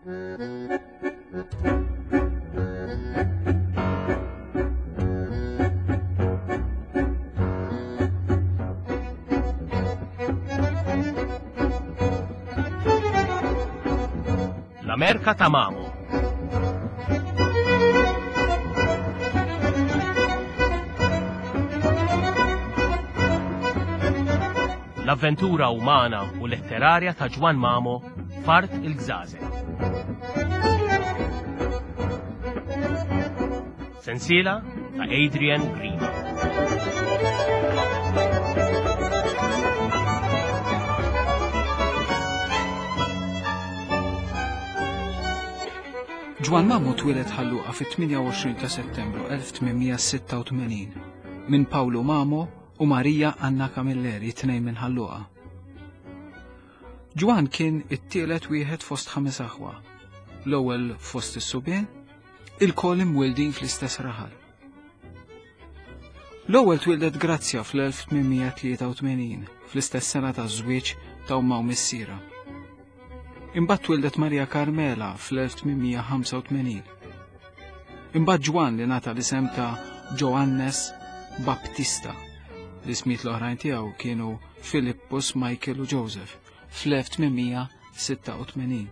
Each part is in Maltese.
L-Amerka ta' Mamo. L-avventura umana u letterarja ta' Ġwann Mamo f'Art il-Gżażel. Sensiela ta' Adrian Grima. Ġwann Mamo twieled Ħal Luqa fit-28 ta' Settembru 1886 minn Pawlu Mamo u Marija Anna Camilleri, tnejn minn Ħal Luqa. Ġwann kien it-tielet wieħed fost ħames aħwa, l-ewwel fost is-subien, ilkoll imwieldin fl-istess raħal. L-ewwel twieldet Grazzja fl-1883, fl-istess sena taż-żwieġ ta' ommha u missierha. Imbagħad twieldet Maria Carmela fl-1885. Imbagħad Ġwann li ngħata l-isem ta' Joannes Baptista. L-ismijiet l-oħrajn tiegħu kienu Filippus, Michael u Joseph fl-1886.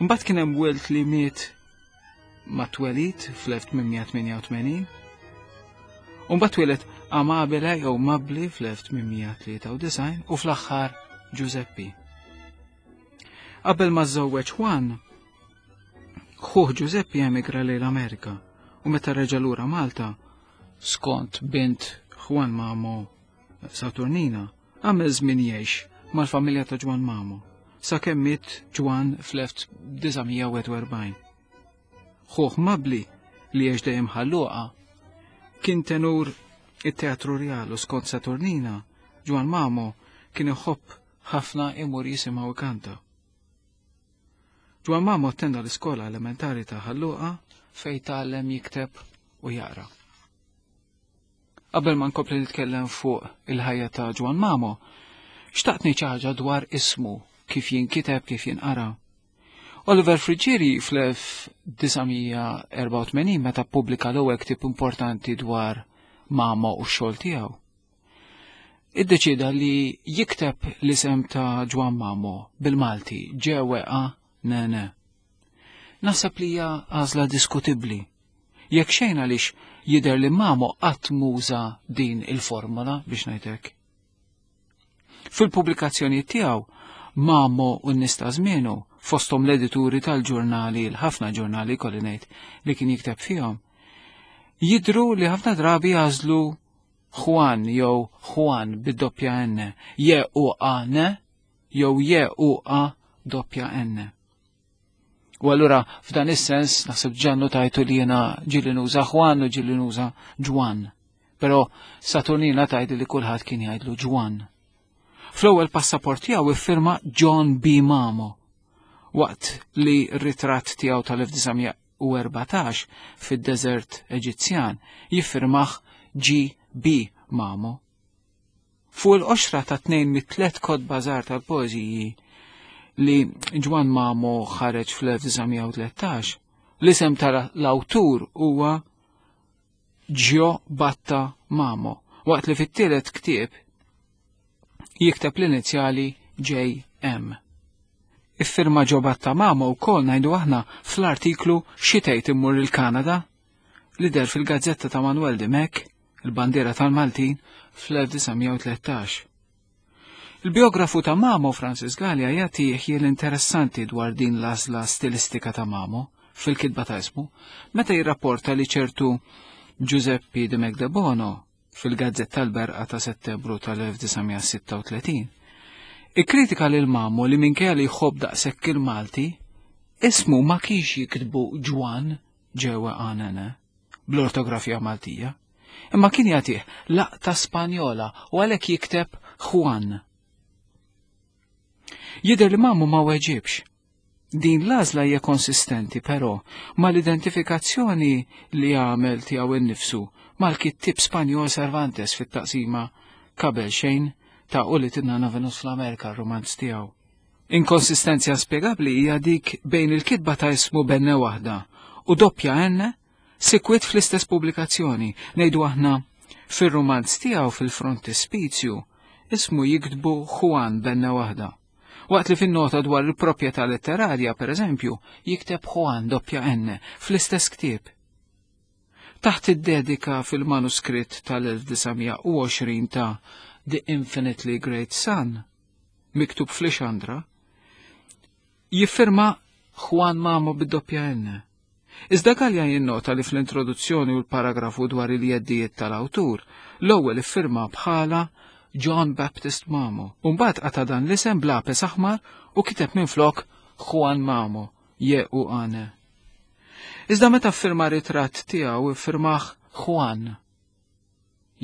Imbagħad kien hemm wild li miet mat-twelid fl-1888. U mbagħad twieled Amabile jew Mabli fl-1893 u fl-aħħar Giuseppi. Qabel ma żżewweġ Juan, ħuh Giuseppi emigra lejn l-Amerika u meta reġa' lura Malta, skont bint Juan Mamo Saturnina, għamel żmien jgħix mal-familja ta' Ġwann Mamo, sakemm miet Ġwann fl-1941. Ħuh Mabli, li għex dejjem Ħal Luqa, kien tenur it-Teatru Rjal u skont Saturnina, Ġwann Mamo kien iħobb ħafna imur jisimgħu ikanta. Ġwann Mamo attenda l-iskola elementari ta' Ħal Luqa fejn tgħallem jikteb u jaqra. Qabel ma nkompli nitkellem fuq il-ħajja ta' Ġwann Mamo, xtaqt ngħid xi ħaġa dwar ismu, kif jinkiteb, kif jinqara. Oliver Friggieri fl-1984 meta ppubblika l-ewwel ktieb importanti dwar Mamo u x-xogħol tiegħu, iddeċieda li jikteb l-isem ta' Ġwann Mamo bil-Malti Ġ-W-A-N-N. Naħseb li hija għażla diskutibbli. Jekk xejn għaliex jidher li Mamo qatt muża din il-formola biex ngħid hekk. Fil-pubblikazzjonijiet tiegħu, Mamo u n-nies ta' żmienu, fosthom l-edituri tal-ġurnali, l-ħafna ġurnali kolli ngħid li kien jikteb fihom, jidhru li ħafna drabi għażlu Juan jew Juan bid-doppja N, J U A N jew J U A doppja N. U allura f'dan is-sens naħseb ġannu tajtu li jiena ġieli nuża Juan u ġieli nuża Ġwan. Però Saturnina tajdi li kulħadd kien jgħidlu Ġwan. Fl-ewwel passaport tiegħu iffirma John B. Mamo waqt li r-ritratt tiegħu tal-1914 fid-deżert Eġizzjan jiffirmah G. B. Mamo. Fuq il-qoxra ta' tnejn mit-tlet kotba żgħar tal-poeżiji li Ġwann Mamo ħareġ fl-1913, l-isem tal-awtur huwa Gio Batta Mamo, waqt li fit-tielet ktieb jikteb l-inizjali JM. Iffirma Gio Batta Mamo wkoll ngħidu aħna fl-artiklu Xi tgħid immur il-Kanada li deher fil-gazzetta ta' Manuel Dimech il-bandiera tal-Maltin fl-1913. Il-biografu ta' Mamo, Francis Galea, jagħti ħjiel interessanti dwar din l-għażla stilistika ta' Mamo fil-kitba ta' ismu, meta jirrapporta li ċertu Giuseppe de Megdebono fil-Gazzetta l-Berqa ta' Settembru tal-1936 ikkritika lil Mamo li minkejja li jħobb daqshekk il-Malti, ismu ma kienx jiktbu Ġwann ġewwa Anene. bl-ortografija Maltija, imma kien jagħtih laqta Spanjola u għalhekk jikteb Juan. Jidher li Mamu ma weġibx. Din l-għażla hija konsistenti però mal-identifikazzjoni li għamel tiegħu innifsu mal-kittieb Spanjol Cervantes fit-taqsima qabel xejn ta' Ulied in-Nana Venus fl-Amerika r-rumanz tiegħu. Inkonsistenzja spjegabbli hija dik bejn il-kitba ta' ismu b'N waħda u doppja N sikwit fl-istess pubblikazzjoni, ngħidu aħna fir-rumanz tiegħu fil-frontispizju ismu jiktbu Juan b'N waħda. Waqt li fin-nota dwar il-proprjetà letterarja, per eżempju, jikteb Juan doppja N fl-istess ktieb. Taħt id-dedika fil-manuskritt tal-1920 ta' The Infinitely Great Sun, miktub fl-Ixandra, jiffirma Juan Mamo bid-doppja N. Iżda Galea jinnota li fl-introduzzjoni u l-paragrafu dwar il-jeddijiet tal-awtur, l-ewwel iffirma bħala John Baptist Mamo, u mbagħad qata' dan l-isem b'lapes aħmar u kiteb minflok Juan Mamo, J-U-A-N. Iżda meta ffirma ritratt tiegħu iffirmah Juan.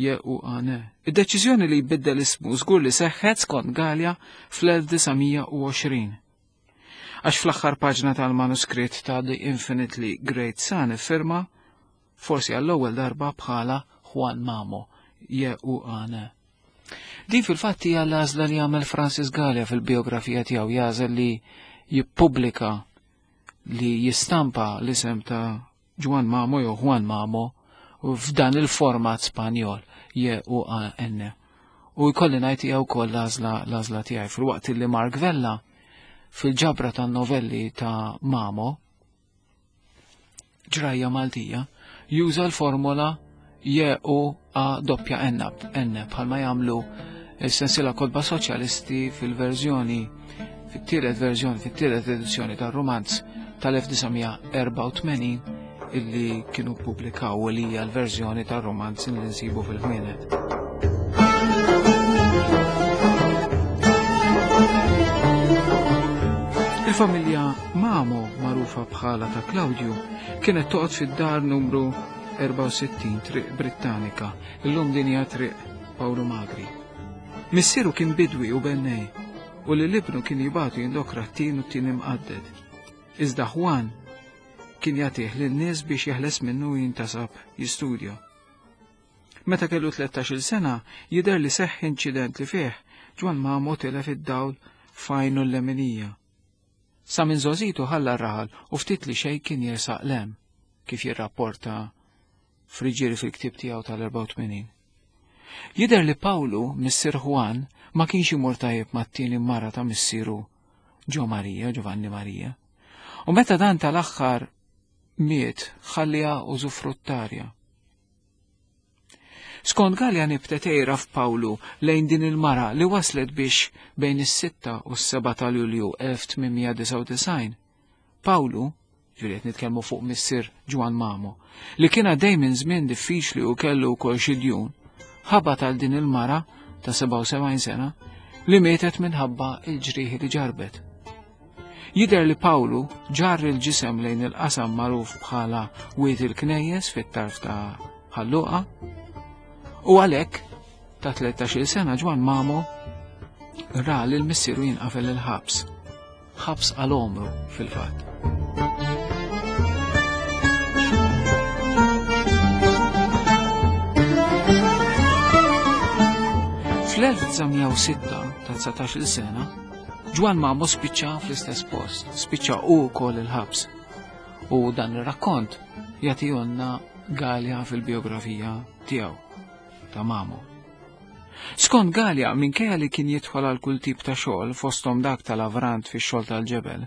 J-U-A-N. Id-deċiżjoni li jbiddel ismu żgur li seħħet skont Galea fl-1920. Għax fl-aħħar paġna tal-manuskritt ta' The Infinitely Great Sun iffirma, forsi għall-ewwel darba bħala Juan Mamo, J-U-A-N. Din fil-fatt hija l-għażla li għamel Francis Galea fil-biografija tiegħu jagħżel li jippubblika li jistampa l-isem ta' Juan Mamo jew Juan Mamo f'dan il-format Spanjol J-U-A-N. U jkolli ngħid hija wkoll l-għażla l-għażla tiegħi fil-waqt li Mark Vella fil-ġabra tan-novelli ta' Mamo ġrajja Maltija juża l-formola J U A doppja N N bħalma jagħmlu s-sensiela kotba soċjalisti fil-verżjoni fit-tielet verżjoni, fit-tielet edizzjoni tar-rumanz tal-1984 illi kienu ppubblikaw li hija l-verżjoni tar-rumanz li nsibu fil-ħwienet. Il-familja Mamo, magħrufa bħala ta' Claudio, kienet toqgħod fid-dar numru 64 Triq Brittanika, illum din hija Triq Pawlu Magri. Missieru kien bidwi u bennej, u lil ibnu kien jibgħatu jindokra t-tin u t-tin imqadded. Iżda Juan kien jagħtih lin-nies biex jeħles minnu u jintasab jistudja. Meta kellu 13-il sena, jidher li seħħ inċident li fih Ġwann Mamo tilef id-dawl f'għajnu l-leminija. Sa minn żgħożitu ħalla r-raħal u ftit li xejn kien jersaq 'l hemm, kif jirrapporta Friggieri fil-ktieb tiegħu tal-84. Jidher li Pawlu, missier Juan, ma kienx imur tajjeb mat-tieni mara ta' missieru Ġo Marija, Giovanni Marija. U meta dan tal-aħħar miet ħalliha użufruttarja. Skont Galea nibtet għira f'Pawlu lejn din il-mara li waslet biex bejn is-6 u s-7 ta' Lulju 1899, Pawlu, ġifieri qed nitkellmu fuq missier Ġwann Mamo, li kien għaddej minn żmien diffiċli u kellu wkoll xi djun, ħabat għal din il-mara ta' 77 sena li mietet minħabba il-ġrieħi li ġarbet. Jidher li Pawlu ġarr il-ġisem lejn il-qasam magħruf bħala Wied il-Knejjes fit-tarf ta' Ħalluqa u għalhekk ta' 13-il sena Ġwann Mamo ra lil missieru jinqafel il-ħabs. Ħabs għal għomru fil-fatt. Fl-1906 ta' 19-il sena, Ġwann Mamo spiċċa fl-istess post, spiċċa u wkoll il-ħabs. U dan ir-rakkont jagħtihulna Galea fil-biografija tiegħu ta' Mamo. Skont Galea, minkejja li kien jidħol għal kull tip ta' xogħol fosthom dak tal-avrant fix-xogħol tal-ġebel,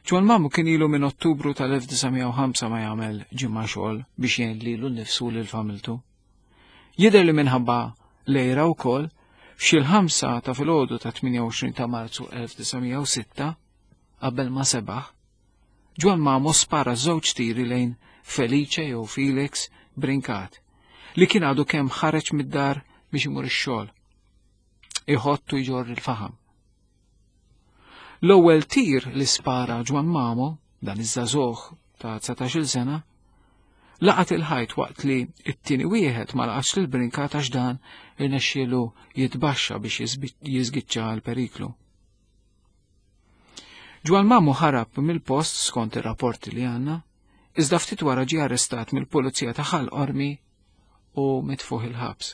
Ġwann Mamo kien ilu minn Ottubru tal-1905 ma jagħmel ġimgħa xogħol biex jgħin lilu nnifsu lil familtu. Jidher li minħabba lejra wkoll f'xi l-ħamsa ta' filgħodu ta' 28 ta' Marzu 1906 qabel ma sebaħ, Ġwann Mamo spara żewġ tiri lejn Felice jew Felix Brincat li kien għadu kemm ħareġ mid-dar biex imur ix-xogħol. Iħott u jġorr il-faħam. L-ewwel tir li spara Ġwann Mamo, dan iż-żagħżugħ ta' 19-il sena, laqat il-ħajt waqt li t-tieni wieħed ma laqatx lil Brincat għax dan irnexxielu jitbaxxa biex jiżgiċċa l-periklu. Ġwann Mamo ħarab mill-post skont ir-rapporti li għandna, iżda ftit wara ġie arrestat mill-pulizija ta' Ħal Qormi u mitfuħ il-ħabs.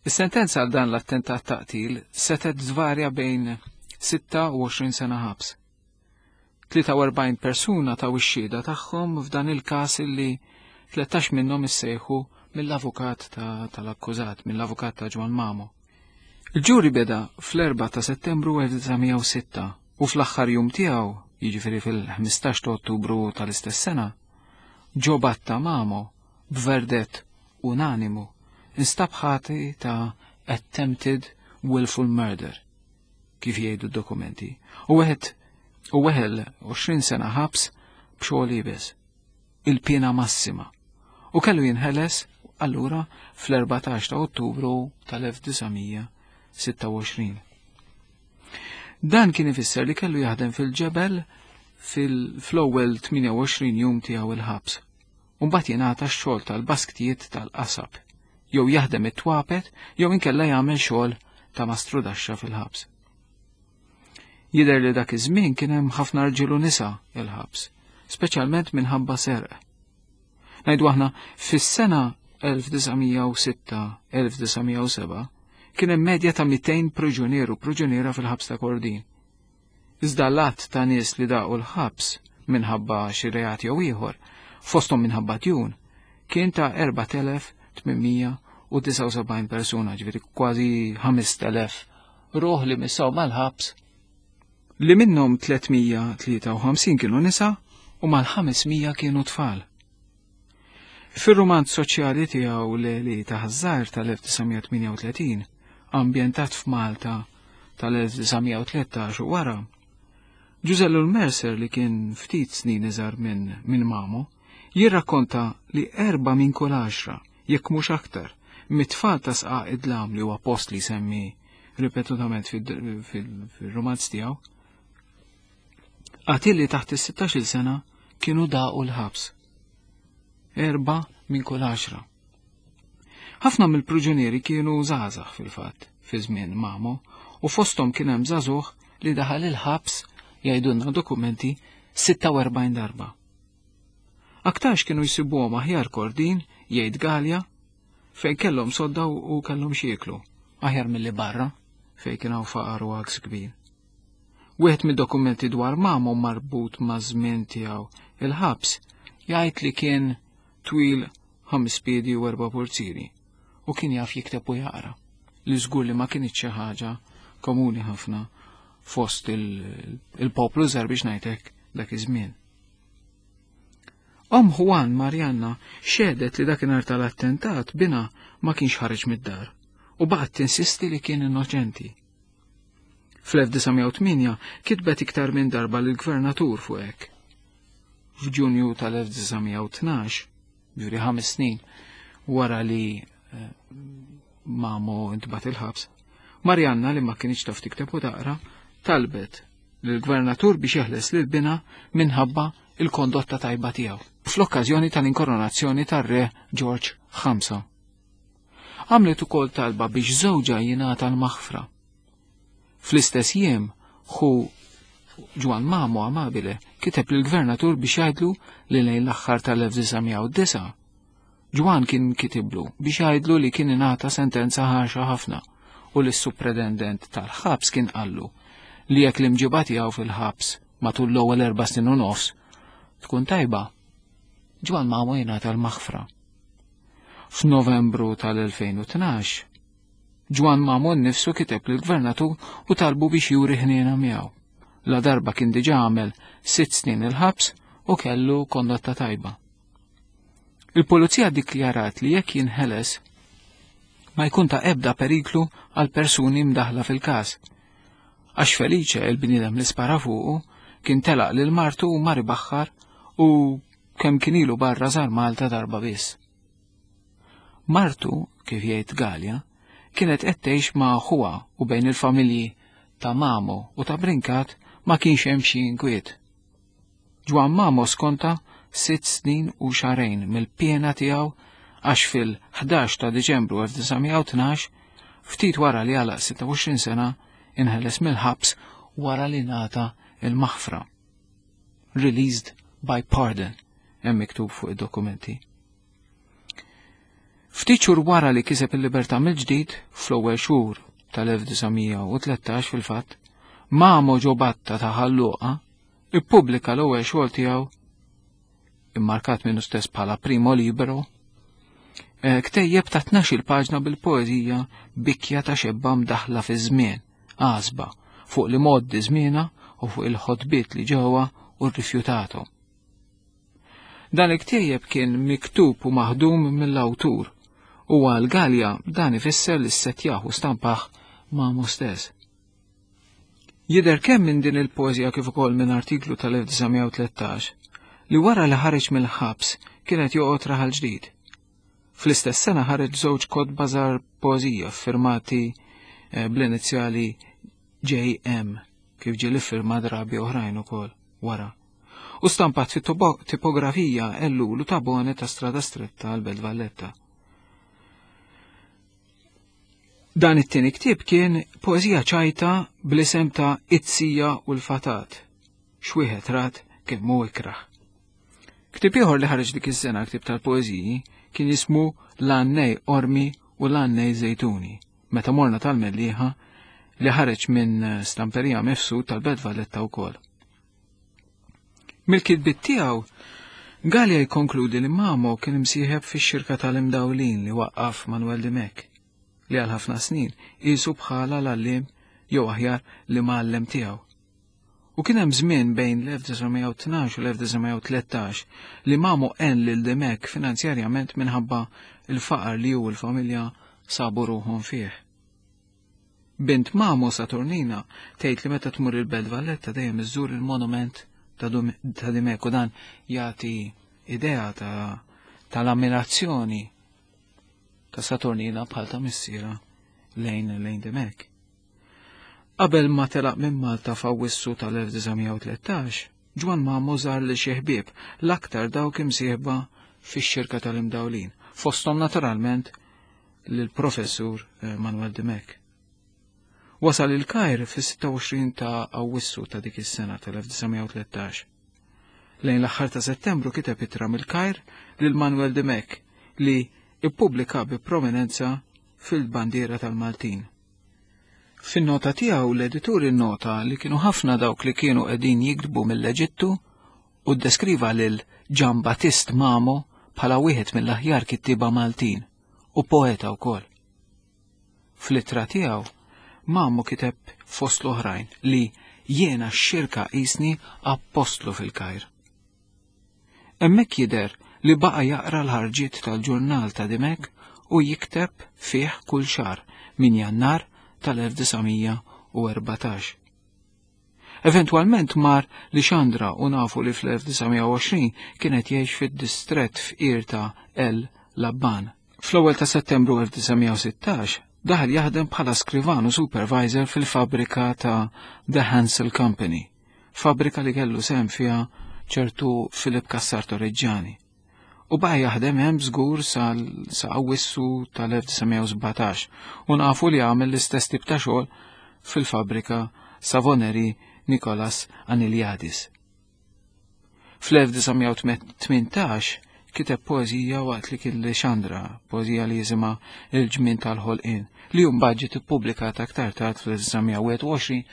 Is-sentenza għal dan l-attentat ta' qtil setgħet tvarja bejn 26 sena ħabs. 43 persuna taw ix-xhieda tagħhom f'dan il-każ illi 13 minnhom issejħu mill-avukat tal-akkużat, mill-avukat ta' Ġwann Mamo. Il-ġuri beda fl-4 ta' Settembru 1906 u fl-aħħar jum tiegħu, jiġifieri fil-15 ta' Ottubru tal-istess sena, Ġo Batta Mamo b'verdett unanimu instab ħati ta' attempted willful murder, kif jgħidu d-dokumenti, u wieħed u weħel 20 sena ħabs b'xogħol iebes, il-piena massima, u kellu jinħeles allura fl-14 ta' Ottubru tal-1926. Dan kien ifisser li kellu jaħdem fil-ġebel fil-ewwel 28 jum tiegħu il-ħabs. U mbagħad jingħata x-xogħol tal-basktijiet tal-qasab, jew jaħdem it-twapet, jew inkella jagħmel xogħol ta' mastrudaxxa fil-ħabs. Jidher li dak iż-żmien kien hemm ħafna rġiel u nisa il-ħabs, speċjalment minħabba serq. Ngħidu aħna fis-sena 1906-1907 kien hemm medja ta' 200 priġunier u priġuniera fil-ħabs ta' Kordin. Iżda l-għadd ta' nies li daqu l-ħabs minħabba xi reat jew ieħor, fosthom minħabba djun, kien ta' 4879 persuna, ġifieri kważi 5000 ruħ li missaw mal-ħabs, li minnhom 353 kienu nisa u mal-500 kienu tfal. Fir-rumanz soċjali tiegħu Leli ta' Ħaż-Żgħir tal-1938, ambjentat f'Malta tal-1913 u wara, Ġużè Ellul Mercer li kien ftit snin iżgħar minn min Mamo, jirrakkonta li 4 minn kull 10, jekk mhux aktar, mit-tfal ta' Sqaq id-Dlam li huwa post li jsemmi ripetutament fil-romanz tiegħu, qatilli taħt is-16-il sena kienu daqu l-ħabs. 4 minn kull 10. Ħafna mill-priġunieri kienu żgħażagħ fil-fatt fi żmien Mamo, u fosthom kien hemm żagħżugħ li daħal il-ħabs jgħidulna dokumenti 46 darba. Aktarx kienu jsibuhom aħjar Kordin, jgħid Galea, fejn kellhom sodda u kellhom xieklu, aħjar milli barra fejn kien hawn faqar u għaks kbir. Wieħed mid-dokumenti dwar Mamo marbut ma' żmien tiegħu il-ħabs jgħid li kien twil 5 piedi u 4 purzieri u kien jaf jikteb u jaqra, li żgur li ma kienx xi ħaġa komuni ħafna fost il-poplu żgħar biex ngħidlek dak iż-żmien. Omm Juan Marianna xehdet li dakinhar tal-attentat bina ma kienx ħareġ mid-dar u baqgħet tinsisti li kien innoċenti. Fl-1908 kitbet iktar minn darba lill-gvernatur fuq hekk. F'Ġunju tal-1912, ġuri 5 snin wara li Mamo intbat il-ħabs, Marianna li ma kienx taf tikteb u taqra, talbet lill-gvernatur biex jeħles lil binha minħabba il-kondotta tajba tiegħu fl-okkażjoni tal-inkoronazzjoni tar-re George 5. Għamlet ukoll talba biex żewġha jingħata l-maħfra. Fl-istess jiem, ħu Ġwann Mamo Amabile kiteb lill-gvernatur biex jgħidlu li lejn l-aħħar tal-1909 Ġwann kien kitiblu biex jgħidlu li kien ingħata sentenza ħarxa ħafna u li s-supretendent tal-ħabs kien qallu li jekk l-imġiba tiegħu fil-ħabs matul l-ewwel 4 snin u nofs tkun tajba, Ġwann Mamo jingħata l-maħfra. F'Novembru tal-2012, Ġwann Mamo nnifsu kiteb lill-gvernatur u talbu biex juri ħniena miegħu. La darba kien diġà għamel 6 snin il-ħabs u kellu kondotta tajba. Il-pulizija ddikjarat li jekk jinħeles ma jkun ta' ebda periklu għal persuni mdaħla fil-każ. Għax Felice, il-bniedem li spara fuqu, kien telaq lil martu u mar ibaħħar u kemm kien ilu barra żar Malta darba biss. Martu, kif jgħid Galea, kienet qed tgħix ma' ħuha u bejn il-familji ta' Mamo u ta' Brincat ma kienx hemm xi inkwiet. Ġwann Mamo skonta 6 snin u xahrejn mill-piena tiegħu għax fil-11 ta' Diċembru 1912, ftit wara li għalaq 26 sena, inħeles mill-ħabs wara li ngħata il-maħfra. Released by pardon, hemm miktub fuq id-dokumenti. Ftit xhur wara li kiseb il-libertà mill-ġdid, fl-ewwel xhur tal-1913 fil-fatt, Mamo Ġobatta ta' Ħal Luqa ippubblika l-ewwel xogħol tiegħu immarkat minnu stess bħala Primo Libero, eh, ktejjeb ta' 12 paġna bil-poeżija Bikja ta' xebba mdaħla fi żmien, għasba, fuq li moddi żmiena u fuq il-ħotbiet li ġewwa u rrifjutathom. Dan il-ktejjeb kien miktub u maħdum mill-awtur u għal Gallia dan ifisser li ssettjah u stampah Mamo stess. Jidher kemm minn din il-poeżija kif ukoll minn artiklu tal-1913 li wara li ħareġ mill-ħabs kien qed joqgħod Raħal Ġdid. Fl-istess sena ħareġ żewġ kotba żgħar poeżija ffirmati eh, bl-inizjali JM kif ġie li ffirma drabi oħrajn ukoll wara. U stampat fit tipografija Ellul u Tabone ta' Strada Stretta għal Belt Valletta. Dan it-tieni ktieb kien poeżija ċajta bl-isem ta' It-Sija u l-Fatat, x'wieħed rat kemm hu ikrah. Ktieb ieħor li ħareġ dik is-sena ktieb tal-poeżiji kien jismu L-Għannej Qormi u L-Għannej Żejtuni, meta morna tal-Mellieħa li ħareġ minn Stamperija Mifsud tal-Belt Valletta wkoll. Mill-kitbiet tiegħu, Galea jikkonkludi li Mamo kien imsieħeb fix-xirka tal-Imdawlin li waqqaf Manuel Dimech, li għal ħafna snin qisu bħala l-għalliem jew aħjar l-imgħallem tiegħu. U kien hemm żmien bejn l-1912 u l-1913 li Mamo għen lil Dimech finanzjarjament minħabba l-faqar li hu u l-familja sabu ruħhom fih. Bint Mamo Saturnina tgħid li meta tmur il-Belt Valletta dejjem iżżur il-monument ta' Dimech u dan jagħti idea ta' tal-ammirazzjoni ta' Saturnina bħal ta' missiera lejn lejn Dimech. Qabel ma telaq minn Malta f'Awwissu tal-1913, Ġwann Mamo żar lil xi ħbieb, l-aktar dawk imsieħba fix-xirka tal-Imdawlin, fosthom naturalment lill-Professur eh, Manuel Dimech. Wasal il-Kajr fis-26 ta' Awwissu ta' dik is-sena tal-1913. Lejn l-aħħar ta' Settembru kiteb ittra mill-Kajr lil Manuel Dimech li ippubblika bi prominenza fil-bandiera tal-Maltin. Fin-nota tiegħu l-editur innota li kienu ħafna dawk li kienu qegħdin jiktbu mill-Eġittu u ddeskriva lil Ġan Battist Mamo bħala wieħed mill-aħjar kittieba Maltin u poeta wkoll. Fl-ittra tiegħu, Mamo kiteb fost l-oħrajn li jiena x-xirka qisni appostlu fil-Kajr. Hemmhekk jidher li baqa' jaqra l-ħarġiet tal-ġurnal ta' Dimech u jikteb fih kull xahar minn Jannar tal-1914. Eventwalment mar Lixandra u nafu li fl-1920 kien qed jgħix fid-distrett fqir ta' El Labban. Fl-ewwel ta' Settembru 1916 daħal jaħdem bħala skrivan u supervisor fil-fabbrika ta' The Hansel Company, fabbrika li kellu sehem fiha ċertu Philip Cassar Torreggiani. U baqa' jaħdem hemm żgur sa Awwissu tal-1917 u nafu li għamel l-istess tip ta' xogħol fil-fabbrika Savoneri Nicolas Aniliadis. Fl-1918 kiteb poeżija waqt li kien Lixandra, poeżija li jisimha Il-Ġmien tal-Ħolqien, li mbagħad ġiet ippubblikata aktar tard fl-1921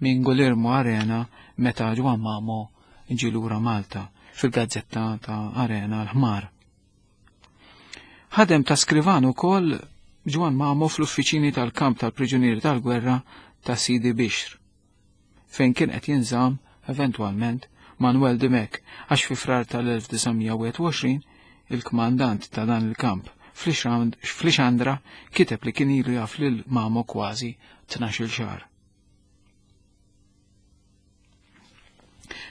minn Guillermo Arena meta Ġwann Mamo ġie lura Malta fil-gazzetta ta' Arena l-Ħmar. Ħadem ta' skrivan ukoll Ġwann Mamo fl-uffiċini tal-kamp tal-priġunieri tal-gwerra ta' Sidi Bixr, fejn kien qed jinżamm eventwalment Manuel Dimech għax fi Frar tal-1921 il-kmandant ta' dan il-kamp fl-Ixandra kiteb li kien ilu jaf lil Mamo kważi 12-il xahar.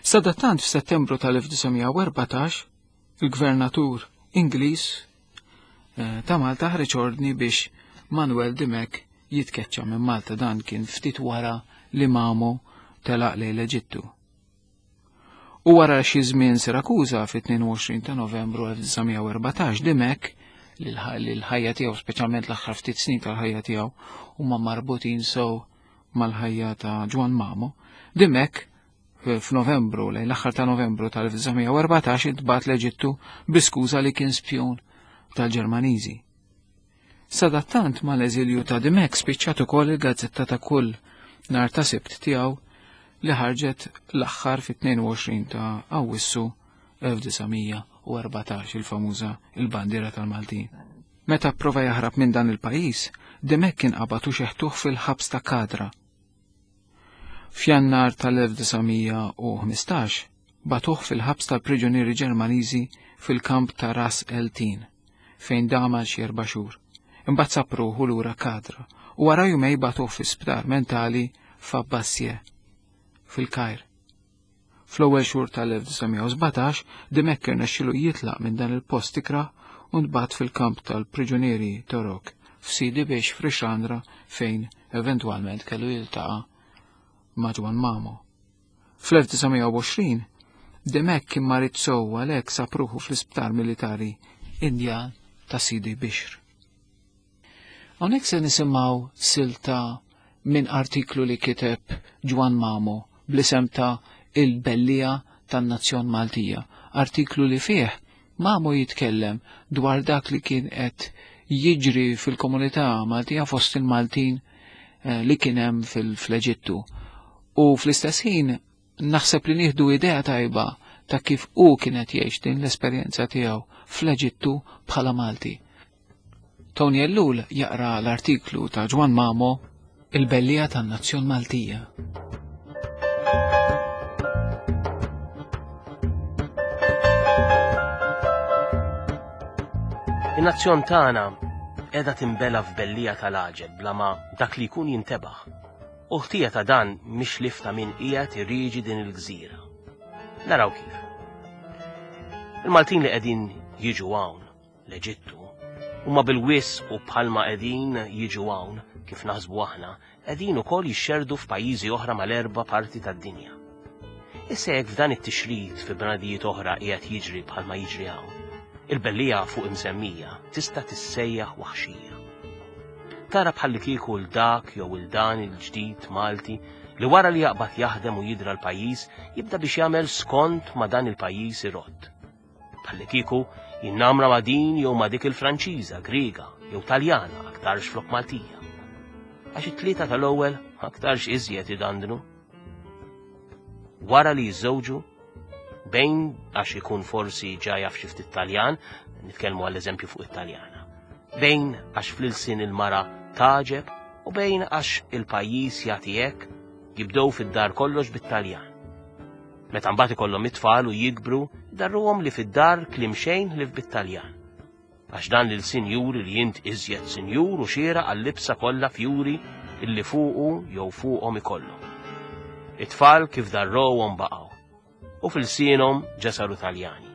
Sadattant f'Settembru tal-1914 il-gvernatur Ingliż eh, ta' Malta ħareġ ordni biex Manuel Dimech jitkeċċa minn Malta dan kien ftit wara li Mamo telaq lejn l-Eġittu. U wara xi żmien Sirakuża fit-22 ta' Novembru 1914 Dimech li l-ħajja tiegħu speċjalment l-aħħar ftit snin tal-ħajja tiegħu huma marbutin sew mal-ħajja ta' Ġwann Mamo, Dimech f'Novembru, lejn l-aħħar ta' Novembru tal-1914 intbagħat l-Eġittu bi skuża li kien spjun tal-Ġermaniżi. Sadattant mal-eżilju ta' Dimech spiċċat ukoll il-gazzetta ta' kull nhar ta' Sibt tiegħu li ħarġet l-aħħar fit-22 ta' Awwissu 1914 il-famuża il-bandiera tal-Maltin. Meta pprova jaħrab minn dan il-pajjiż, Dimech kien qabad u xeħtuh fil-ħabs ta' Kadra. F'Jannar tal-1915 bagħtuh fil-ħabs tal-priġunieri Ġermaniżi fil-kamp ta' Ras El Tin, fejn dam għal xi erba' xhur. Imbagħad sab ruħu lura Kadra u wara jumej bagħtuh fi sptar mentali f'Abbassie, fil-Kajr. Fl-ewwel xhur tal-1917, Dimech irnexxielu jitlaq minn dan il-post ikrah u ntbagħat fil-kamp tal-priġunieri Torok f'Sidi Bix f'Rixandra fejn eventwalment kellu jiltaqa' ma' Ġwann Mamo. Fl-1920, Dimech kien marid sew għalhekk sab ruħu fl-isptar militari Indjan ta' Sidi Bixr. Hawnhekk se nisimgħu silta minn artiklu li kiteb Ġwann Mamo bl-isem ta' Il-Bellija tan-Nazzjon Maltija, artiklu li fih Mamo jitkellem dwar dak li kien qed jiġri fil-komunità Maltija fost il-Maltin eh, li kien hemm fil-Eġittu. U fl-istess ħin naħseb li nieħdu idea tajba ta' kif hu kien qed jgħix din l-esperjenza tiegħu fl-Eġittu bħala Malti. Tony Ellul jaqra l-artiklu ta' Ġwann Mamo Il-Bellija tan-Nazzjon Maltija. In-nazzjon tagħna qiegħda tinbela f'bellija tal-għaġeb bla ma dak li jkun jintebaħ. U ħtija ta' dan mhix lif ta' min qiegħed irieġi din il-gżira. Naraw kif. Il-Maltin li qegħdin jiġu hawn l-Eġittu, huma bil-wisq u bħalma qegħdin jiġu hawn, kif naħsbu aħna, qegħdin ukoll jixxerdu f'pajjiżi oħra mal-erba' parti tad-dinja. Issa jekk f'dan it-tixrid fi bnadijiet oħra qiegħed jiġri bħalma jiġri hawn, il-bellija fuq imsemmija tista' tissejjaħ waħxija. Tara bħallikieku 'l dak jew 'il dan il-ġdid Malti li wara li jaqbad jaħdem u jidra l-pajjiż jibda biex jagħmel skont ma dan il-pajjiż irodd. Bħallikieku jinnamra ma' din jew ma' dik il-Franċiża, Griega jew Taljana aktarx flok Maltija. Għax it-tlieta tal-ewwel aktarx iżjed idandnu. Wara li jiżżewġu, bejn għax ikun forsi ġa jaf xi ftit Taljan, nitkellmu għall-eżempju fuq it-Taljana. Bejn għax fl-ilsien il-mara taġeb u bejn għax il-pajjiż jagħti hekk, jibdew fid-dar kollox bit-Taljan. Meta mbagħad ikollhom it-tfal u jikbru, idarruhom li fid-dar kliem xejn ħlief bit-Taljan. Għax dan l-ilsien juri li int iżjed sinjur u xieraq għal-libsa kollha fjuri illi fuqu jew fuqhom ikollhom. It-tfal kif darrowhom baqgħu, u f'ilsienhom ġa saru Taljani.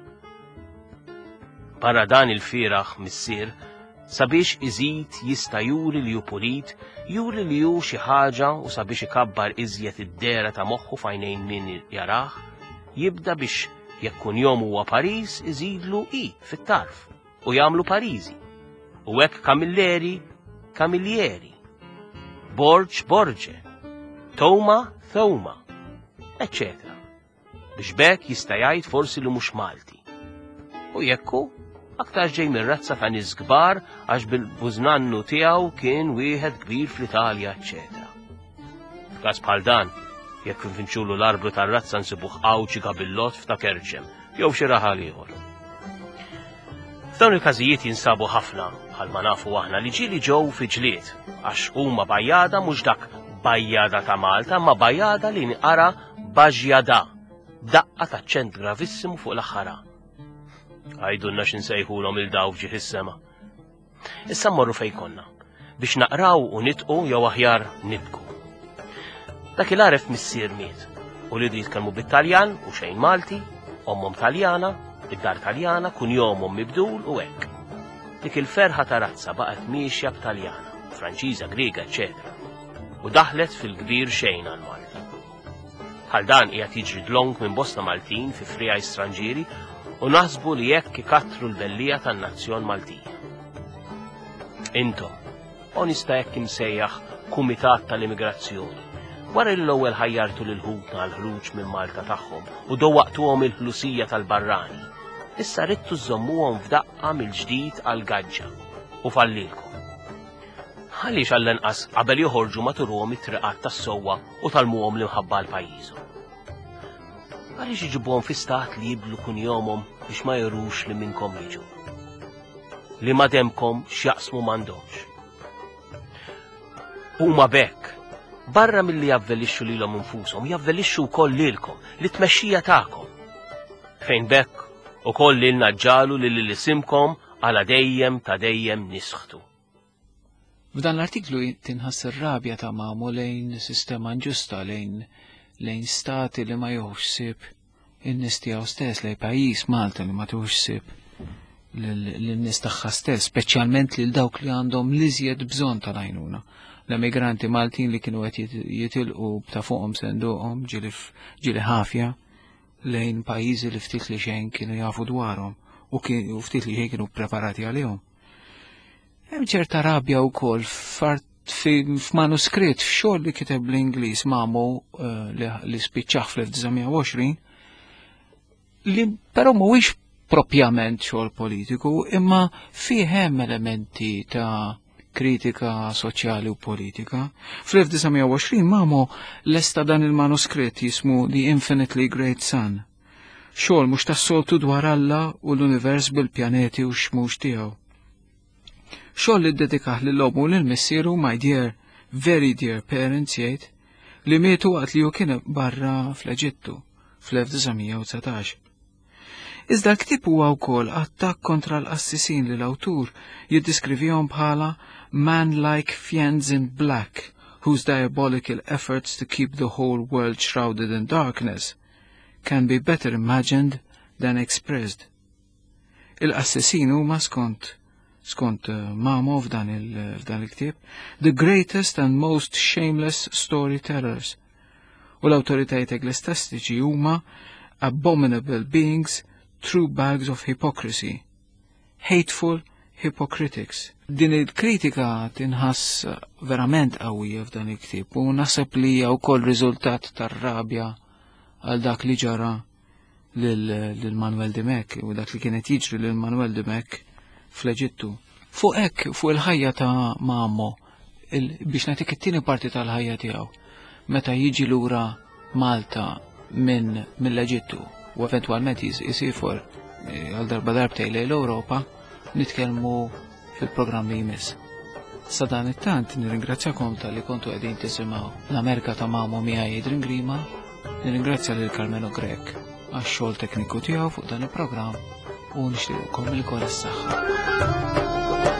Barra dan il-fieragħ missier Sabiex iżid jista' juri li hu pulit, juri li hu xi ħaġa u sabiex ikabbar iżjed id-dehra ta' moħħu f'għajnejn min jarah, jibda biex jekk kunjom huwa Paris iżidlu i fit-tarf u jagħmlu Pariżi. U hekk Camilleri, Camillieri. Borg, Borge. Toma, Thoma, eċċetera. Biex b'hekk jista' jgħid forsi li mhux Malti. U jekk hu, aktarx ġej minn razza ta' nies kbar għax bil-bużnannu tiegħu kien wieħed kbir fl-Italja, eċċetera. F'każ bħal dan, jekk nfinċulu l-arblu tar-razza nsibuh Għawdxi Gabillott f'ta' Kerċem jew xi raħal ieħor. F'dawn il-każijiet jinsabu ħafna, bħalma nafu aħna li ġieli ġew fi ġlied, għax huma bajjada mhux dak bajjada ta' Malta, ma bajjada li nqara Baġjada, b'daqqa t'aċċent gravissimu fuq l-aħħar A. Għidulna x'insejħulhom il daw f'ġieħ is-sema. Issa mmorru fejn konna, biex naqraw u nitqu jew aħjar nibku. Dak il-għaref missier miet, u lidu jitkellmu bit-Taljan u xejn Malti, ommhom Taljana, id-dar Taljana, kunjomhom mibdul u hekk. Dik il-ferħa ta' razza baqgħet miexja b'Taljana, Franċiża, Griega, eċċetera. U daħlet fil-kbir xejn għal Malti. Bħal dan qiegħed jiġri dlonk minn bosta Maltin fi friegħi stranġieri u naħsbu li hekk ikattru l-bellija tan-nazzjon Maltija. Intom, o nista' hekk imsejjaħ Kumitat tal-Immigrazzjoni, wara li l-ewwel ħajjartu lil ħutna għall-ħruġ minn Malta tagħhom u dowwaqtuhom il-ħlusija tal-barrani, issa ridtu żżommuhom f'daqqa mill-ġdid għall-gaġġa u fallilkom. Għaliex għall-inqas qabel joħorġu ma turuhom it-triqat tas-sewwa u tgħallmuhom l-imħabba għal pajjiżhom? Għaliex iġibuhom fi stat li jibdlu kunjomhom biex ma jurux li minnkom jiġu? Li ma demkom x'jaqsmu m'għandhomx. Huma b'hekk, barra milli javvelixxu lilhom infushom, javvelixxu wkoll lilkom, lit-tmexxija tagħkom. Fejn b'hekk ukoll lilna ġġagħlu li lil isimkom għala dejjem ta' dejjem nisħtu. F'dan l-artiklu tinħass ir-rabja ta' Mamo lejn sistema inġusta, lejn lejn stati li ma jieħux ħsieb in-nies tiegħu stess, lejn pajjiż Malta li ma tieħux ħsieb lin-nies tagħha stess, speċjalment lil dawk li għandhom l-iżjed bżonn tal-għajnuna. L-emigranti Maltin li kienu qed jitilqu ta' fuqhom senduqhom ġieli ħafja lejn pajjiżi li ftit li xejn kienu jafu dwarhom u ftit li xejn kienu preparati għalihom. Hemm ċerta rabja wkoll f'manuskritt f'xogħol li kiteb bl-Ingliż Mamo eh, li spiċċaħ fl-1920 li però mhuwiex propjament xogħol politiku imma fih hemm elementi ta' kritika soċjali u politika. Fl-1920 Mamo lesta dan il-manuskritt jismu The Infinitely Great Sun. Xogħol mhux tas-soltu dwar Alla u l-univers bil-pjaneti u x-xmux tiegħu. Xogħol li ddedikah lil ommu u lil missieru my dear, very dear parents jgħid, li mietu waqt li hu kien barra fl-Eġittu fl-1919. Iżda l-ktieb huwa wkoll attakk kontra l-qassisin li l-awtur jiddiskrivihom bħala man-like fiends in black whose diabolical efforts to keep the whole world shrouded in darkness can be better imagined than expressed. Il-qassisin huma skont skont eh, Mamo f'dan il-ktieb, the greatest and most shameless storytellers. U l-awtoritajiet eklestastiċi huma abominable beings, true bags of hypocrisy, hateful hypocritics. Din il-kritika tinħass verament qawwija f'dan il-ktieb u naħseb li hija wkoll riżultat tar-rabja għal dak li ġara lil Manuel Dimech u dak li kienet jiġri lil Manuel Dimech fl-Eġittu. Fuq hekk, fuq il-ħajja ta' Mamo, biex nagħtik it-tieni parti tal-ħajja tiegħu, meta jiġi lura Malta minn mill-Eġittu u eventwalment jisifor eh, għal darba darbtej lejn l-Ewropa, nitkellmu fil-programm li jmiss. Sa dan it-tant nirringrazzjakom tal-li kontu qegħdin tisimgħu l-Amerika ta' Mamo miegħi Adrian Grima, nirringrazzja lil Carmelo Grech għax-xogħol tekniku tiegħu fuq dan il-programm u nixtieqkom il-kol is-saħħa.